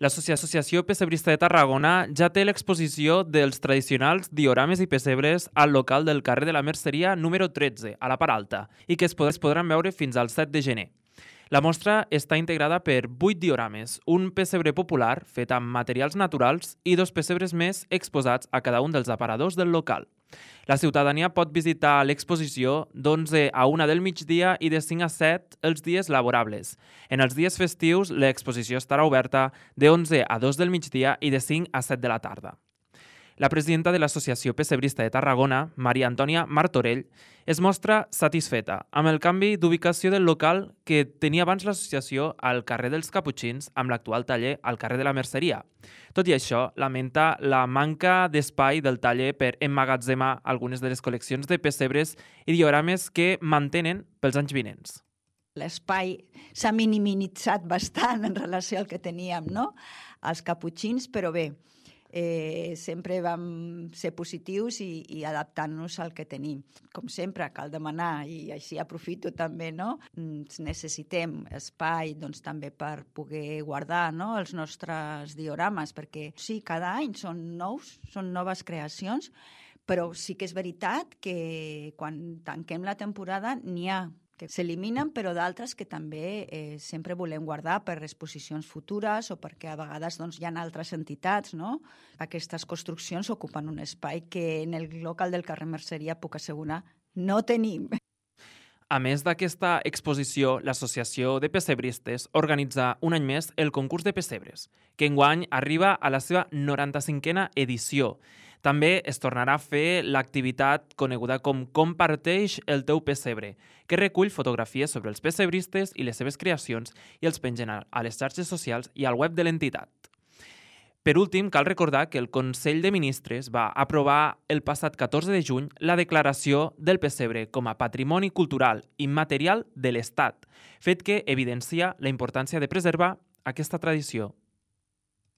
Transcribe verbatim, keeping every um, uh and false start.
L'Associació Pessebrista de Tarragona ja té l'exposició dels tradicionals diorames i pessebres al local del carrer de la Merceria número tretze, a la part alta, i que es podran veure fins al set de gener. La mostra està integrada per vuit diorames, un pessebre popular fet amb materials naturals i dos pessebres més exposats a cada un dels aparadors del local. La ciutadania pot visitar l'exposició d'onze a una del migdia i de cinc a set els dies laborables. En els dies festius, l'exposició estarà oberta d'onze a dos del migdia i de cinc a set de la tarda. La presidenta de l'Associació Pessebrista de Tarragona, Maria Antònia Martorell, es mostra satisfeta amb el canvi d'ubicació del local que tenia abans l'associació al carrer dels Caputxins amb l'actual taller al carrer de la Merceria. Tot i això, lamenta la manca d'espai del taller per emmagatzemar algunes de les col·leccions de pessebres i diorames que mantenen pels anys vinents. L'espai s'ha minimitzat bastant en relació al que teníem, no?, als Caputxins, però bé, Eh, sempre vam ser positius i, i adaptant-nos al que tenim. Com sempre, cal demanar, i així aprofito també, no? Necessitem espai doncs, també per poder guardar, no?, els nostres diorames, perquè sí, cada any són nous, són noves creacions, però sí que és veritat que quan tanquem la temporada n'hi ha que s'eliminen, però d'altres que també eh, sempre volem guardar per exposicions futures o perquè a vegades doncs, hi ha altres entitats, no? Aquestes construccions ocupen un espai que en el local del carrer Merceria, puc assegurar, no tenim. A més d'aquesta exposició, l'Associació de Pessebristes organitza un any més el concurs de pessebres, que enguany arriba a la seva noranta-cinquena edició. També es tornarà a fer l'activitat coneguda com Comparteix el teu pessebre, que recull fotografies sobre els pessebristes i les seves creacions i els pengen a les xarxes socials i al web de l'entitat. Per últim, cal recordar que el Consell de Ministres va aprovar el passat catorze de juny la declaració del pessebre com a patrimoni cultural immaterial de l'Estat, fet que evidencia la importància de preservar aquesta tradició.